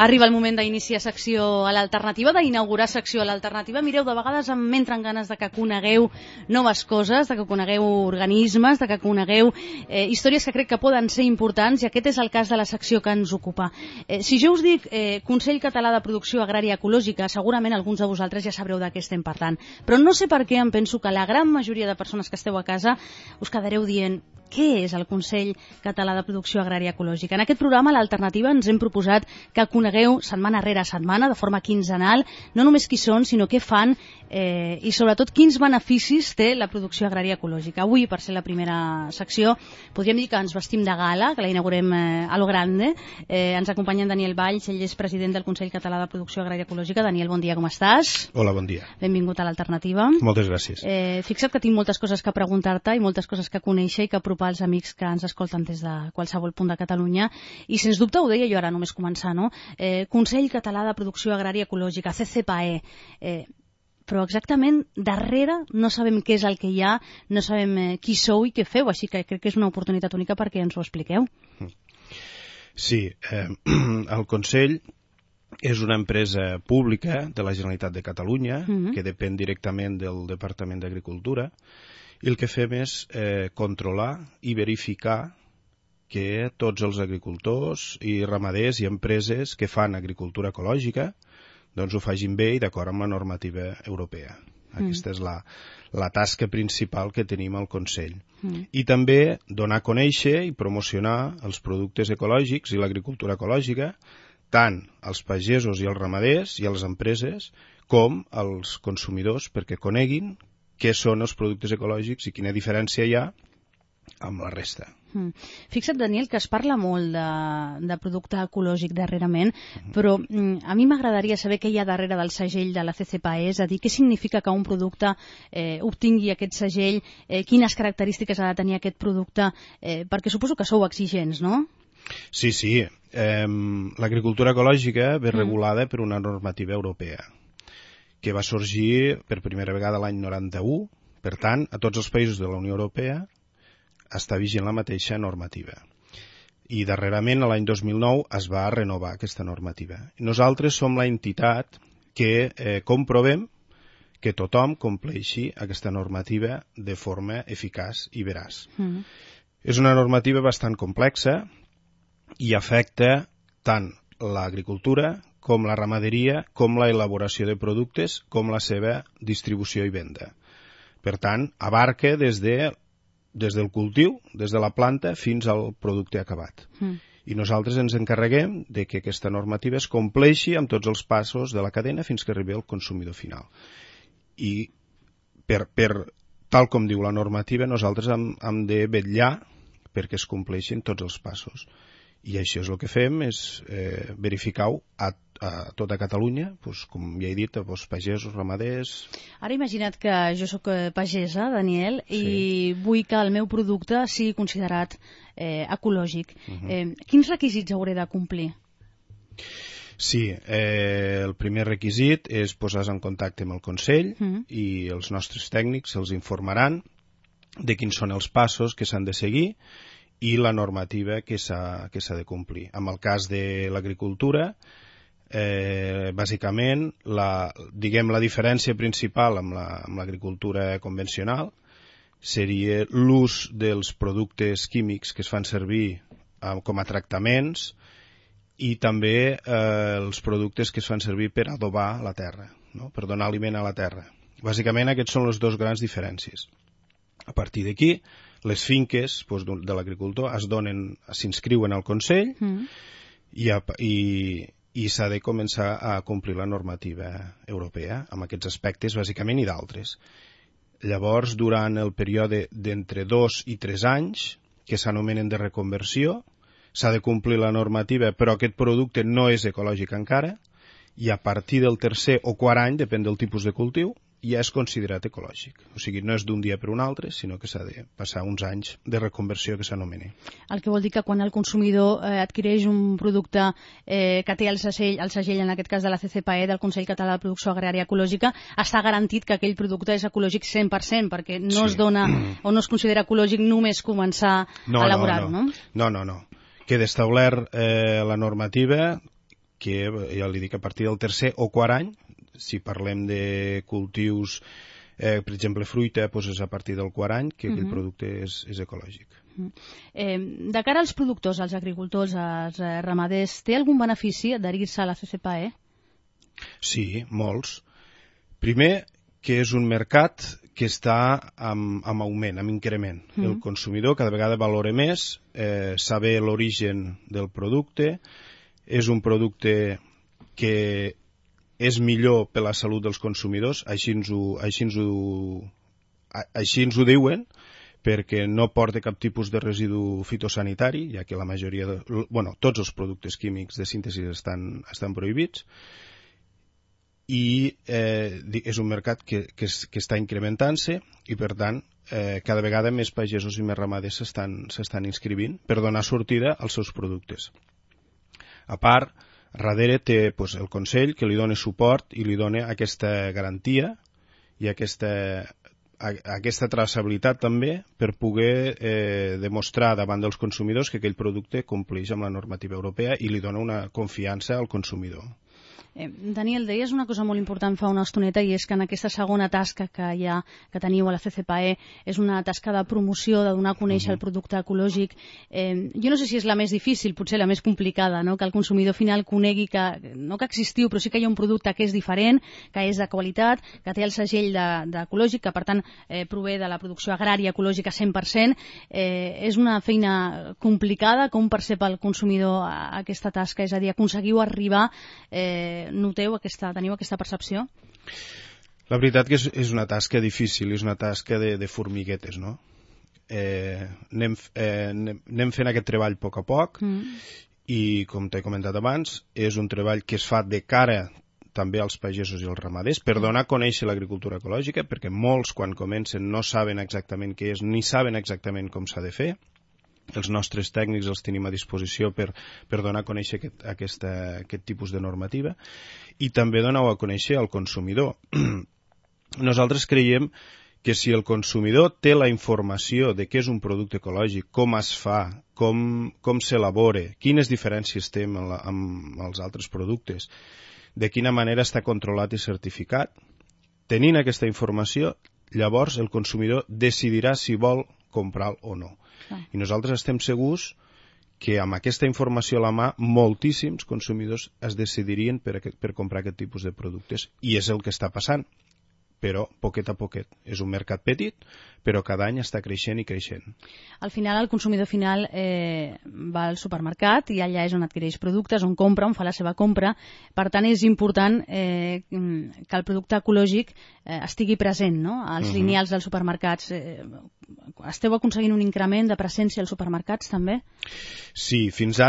Arriba el moment d'iniciar secció a l'alternativa, d'inaugurar secció a l'alternativa. Mireu, de vegades em entren ganes de que conegueu noves coses, de que conegueu organismes, de que conegueu històries que crec que poden ser importants, i aquest és el cas de la secció que ens ocupa. Si jo us dic Consell Català de Producció Agrària Ecològica, segurament alguns de vosaltres ja sabreu de què estem parlant. Però no sé per què em penso que la gran majoria de persones que esteu a casa us quedareu dient: què és el Consell Català de Producció Agrària Ecològica? En aquest programa, l'Alternativa, ens hem proposat que conegueu setmana rere setmana, de forma quinzenal, no només qui són, sinó què fan i sobretot quins beneficis té la producció agrària ecològica. Avui, per ser la primera secció, podríem dir que ens vestim de gala, que la inaugurem a lo grande. Ens acompanya en Daniel Valls, ell és president del Consell Català de Producció Agrària Ecològica. Daniel, bon dia, com estàs? Hola, bon dia. Benvingut a l'Alternativa. Moltes gràcies. Fixa't que tinc moltes coses que preguntar-te i moltes coses que conèixer i que apropar als amics que ens escolten des de qualsevol punt de Catalunya, i sens dubte, ho deia jo ara només començar, no? Consell Català de Producció Agrària Ecològica, CCPAE, però exactament darrere no sabem què és el que hi ha, no sabem qui sou i què feu, així que crec que és una oportunitat única perquè ens ho expliqueu. Sí, el Consell és una empresa pública de la Generalitat de Catalunya que depèn directament del Departament d'Agricultura, i el que fem és controlar i verificar que tots els agricultors i ramaders i empreses que fan agricultura ecològica doncs ho facin bé i d'acord amb la normativa europea. Aquesta és la tasca principal que tenim al Consell. I també donar a conèixer i promocionar els productes ecològics i l'agricultura ecològica tant als pagesos i als ramaders i a les empreses com als consumidors, perquè coneguin què són els productes ecològics i quina diferència hi ha amb la resta. Fixa't, Daniel, que es parla molt de producte ecològic darrerament, però a mi m'agradaria saber què hi ha darrere del segell de la CCPAE, és a dir, què significa que un producte obtingui aquest segell, quines característiques ha de tenir aquest producte, perquè suposo que sou exigents, no? Sí. L'agricultura ecològica ve regulada per una normativa europea que va sorgir per primera vegada l'any 91, per tant, a tots els països de la Unió Europea està vigent la mateixa normativa. I darrerament, l'any 2009, es va renovar aquesta normativa. Nosaltres som la entitat que comprovem que tothom compleixi aquesta normativa de forma eficaç i veraç. És una normativa bastant complexa i afecta tant l'agricultura com la ramaderia, com la elaboració de productes, com la seva distribució i venda. Per tant, abarca des del cultiu, des de la planta, fins al producte acabat. I nosaltres ens encarreguem de que aquesta normativa es compleixi amb tots els passos de la cadena fins que arribi al consumidor final. I tal com diu la normativa, nosaltres hem de vetllar perquè es compleixin tots els passos. I això és el que fem, és verificar-ho a tota Catalunya, com ja he dit, a pagesos, ramaders... Ara imagina't que jo sóc pagesa, Daniel, i vull que el meu producte sigui considerat ecològic. Quins requisits hauré de complir? Sí, el primer requisit és posar-se en contacte amb el Consell i els nostres tècnics els informaran de quins són els passos que s'han de seguir i la normativa que s'ha de complir. En el cas de l'agricultura, bàsicament, la diferència principal amb l'agricultura convencional seria l'ús dels productes químics que es fan servir com a tractaments i també els productes que es fan servir per adobar la terra, per donar aliment a la terra. Bàsicament, aquests són les dues grans diferències. A partir d'aquí, les finques de l'agricultor s'inscriuen al Consell i s'ha de començar a complir la normativa europea amb aquests aspectes, bàsicament, i d'altres. Llavors, durant el període d'entre 2 i 3 anys, que s'anomenen de reconversió, s'ha de complir la normativa, però aquest producte no és ecològic encara, i a partir del tercer o quart any, depèn del tipus de cultiu, ja és considerat ecològic. O sigui, no és d'un dia per un altre, sinó que s'ha de passar uns anys de reconversió que s'anomena. El que vol dir que quan el consumidor adquireix un producte que té el segell, en aquest cas de la CCPAE, del Consell Català de Producció Agrària Ecològica, està garantit que aquell producte és ecològic 100%, perquè no es dona o no es considera ecològic només començar a elaborar-ho, no? No. Queda establert la normativa que, ja li dic, a partir del tercer o quart any, si parlem de cultius, per exemple, fruita, doncs és a partir del quart any que aquell producte és ecològic. De cara als productors, als agricultors, als ramaders, té algun benefici adherir-se a la CCPAE? Sí, molts. Primer, que és un mercat que està amb augment, amb increment. El consumidor cada vegada valora més, saber l'origen del producte, és un producte que és millor per la salut dels consumidors, així ens ho diuen, perquè no porta cap tipus de residu fitosanitari, ja que la majoria tots els productes químics de síntesi estan prohibits, i és un mercat que està incrementant-se i, per tant, cada vegada més pagesos i més ramaders s'estan inscrivint per donar sortida als seus productes. A part, darrere té el Consell que li dona suport i li dona aquesta garantia i aquesta traçabilitat també per poder demostrar davant dels consumidors que aquell producte compleix amb la normativa europea i li dona una confiança al consumidor. Daniel, deies una cosa molt important fa una estoneta, i és que en aquesta segona tasca que teniu a la CCPAE és una tasca de promoció, de donar a conèixer el producte ecològic. Jo no sé si és la més difícil, potser la més complicada, no? Que el consumidor final conegui no que existiu, però sí que hi ha un producte que és diferent, que és de qualitat, que té el segell d'ecològic, que per tant prové de la producció agrària ecològica 100%. És una feina complicada. Com percep el consumidor aquesta tasca? És a dir, aconseguiu arribar... teniu aquesta percepció? La veritat que és una tasca difícil, és una tasca de formiguetes, no? Anem fent aquest treball a poc i, com t'he comentat abans, és un treball que es fa de cara també als pagesos i als ramaders per donar a conèixer l'agricultura ecològica, perquè molts, quan comencen, no saben exactament què és ni saben exactament com s'ha de fer. Els nostres tècnics els tenim a disposició per donar a conèixer aquest tipus de normativa i també donar a conèixer al consumidor. Nosaltres creiem que si el consumidor té la informació de què és un producte ecològic, com es fa, com s'elabora, quines diferències té amb els altres productes, de quina manera està controlat i certificat, tenint aquesta informació, llavors el consumidor decidirà si vol comprar o no. I nosaltres estem segurs que amb aquesta informació a la mà moltíssims consumidors es decidirien per comprar aquest tipus de productes, i és el que està passant, però poquet a poquet. És un mercat petit, però cada any està creixent i creixent. Al final, el consumidor final va al supermercat i allà és on adquireix productes, on compra, on fa la seva compra. Per tant, és important que el producte ecològic estigui present, no? Als lineals dels supermercats. Esteu aconseguint un increment de presència als supermercats, també? Sí, fins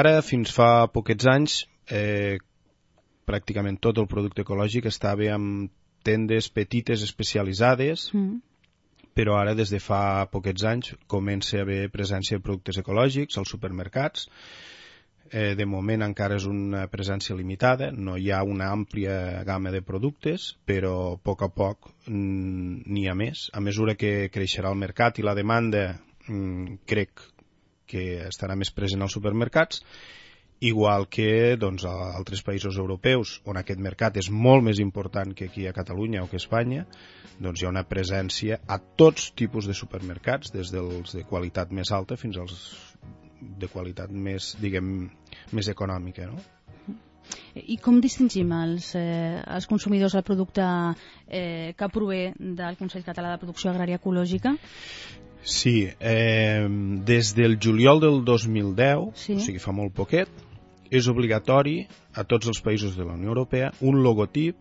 fa poquets anys, pràcticament tot el producte ecològic estava amb tendes petites especialitzades, però ara des de fa poquets anys comença a haver presència de productes ecològics als supermercats. De moment encara és una presència limitada, no hi ha una àmplia gamma de productes, però a poc n'hi ha més. A mesura que creixerà el mercat i la demanda, crec que estarà més present als supermercats, igual que a altres països europeus, on aquest mercat és molt més important que aquí a Catalunya o que a Espanya, hi ha una presència a tots tipus de supermercats, des dels de qualitat més alta fins als de qualitat més, diguem, més econòmica, no? I com distingim els consumidors el producte que prové del Consell Català de Producció Agrària Ecològica? Sí, des del juliol del 2010, o sigui fa molt poquet, és obligatori a tots els països de la Unió Europea un logotip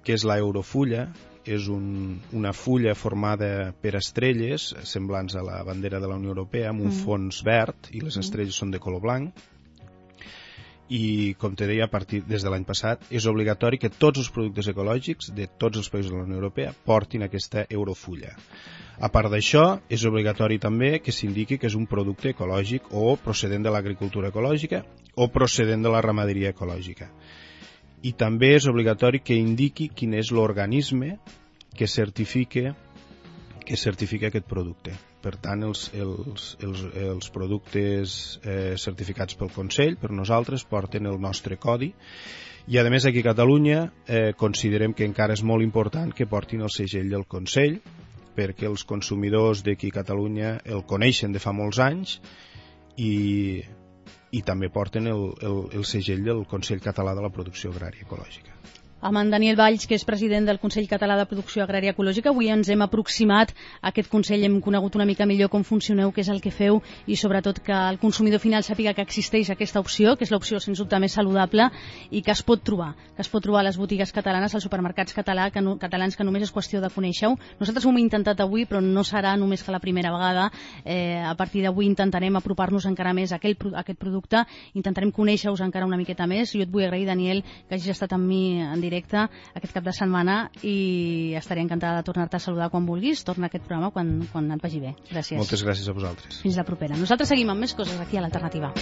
que és la Eurofulla. És una fulla formada per estrelles semblants a la bandera de la Unió Europea amb un fons verd i les estrelles són de color blanc. I, com te deia, a partir des de l'any passat és obligatori que tots els productes ecològics de tots els països de la Unió Europea portin aquesta Eurofulla. A part d'això, és obligatori també que s'indiqui que és un producte ecològic o procedent de l'agricultura ecològica o procedent de la ramaderia ecològica. I també és obligatori que indiqui quin és l'organisme que certifica aquest producte. Per tant, els productes certificats pel Consell, per nosaltres, porten el nostre codi, i a més aquí a Catalunya considerem que encara és molt important que portin el segell del Consell, perquè els consumidors d'aquí a Catalunya el coneixen de fa molts anys i també porten el segell del Consell Català de la Producció Agrària Ecològica. Amb en Daniel Valls, que és president del Consell Català de Producció Agrària Ecològica. Avui ens hem aproximat a aquest Consell, hem conegut una mica millor com funcioneu, què és el que feu i sobretot que el consumidor final sàpiga que existeix aquesta opció, que és l'opció sens dubte més saludable i que es pot trobar a les botigues catalanes, als supermercats catalans, que només és qüestió de conèixer-ho. Nosaltres ho hem intentat avui, però no serà només que la primera vegada. A partir d'avui intentarem apropar-nos encara més a aquest producte, intentarem conèixer-vos encara una miqueta més. Jo et vull agrair, Daniel, que hagis estat amb mi en directe aquest cap de setmana i estaré encantada de tornar-te a saludar quan vulguis. Torna a aquest programa quan et vagi bé. Gràcies. Moltes gràcies a vosaltres. Fins la propera. Nosaltres seguim amb més coses aquí a l'Alternativa.